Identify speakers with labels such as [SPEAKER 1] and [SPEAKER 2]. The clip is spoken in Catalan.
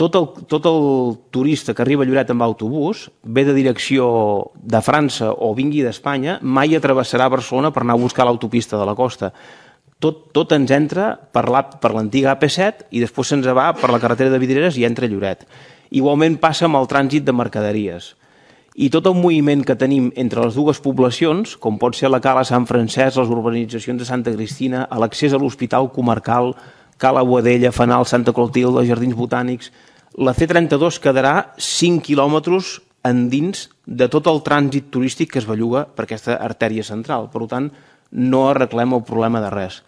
[SPEAKER 1] tot el turista que arriba a Lloret amb autobús, ve de direcció de França o vingui d'Espanya, mai travessarà Barcelona per anar a buscar l'autopista de la costa. Tot ens entra per l'antiga AP7 i després se'ns va per la carretera de Vidreres i entra a Lloret. Igualment passa amb el trànsit de mercaderies. I tot el moviment que tenim entre les dues poblacions, com pot ser la Cala Sant Francesc, les urbanitzacions de Santa Cristina, l'accés a l'Hospital Comarcal, Cala Boadella, Fanal, Santa Clotilde, Jardins Botànics, la C32 quedarà 5 quilòmetres endins de tot el trànsit turístic que es belluga per aquesta artèria central. Per tant, no arreglem el problema de res.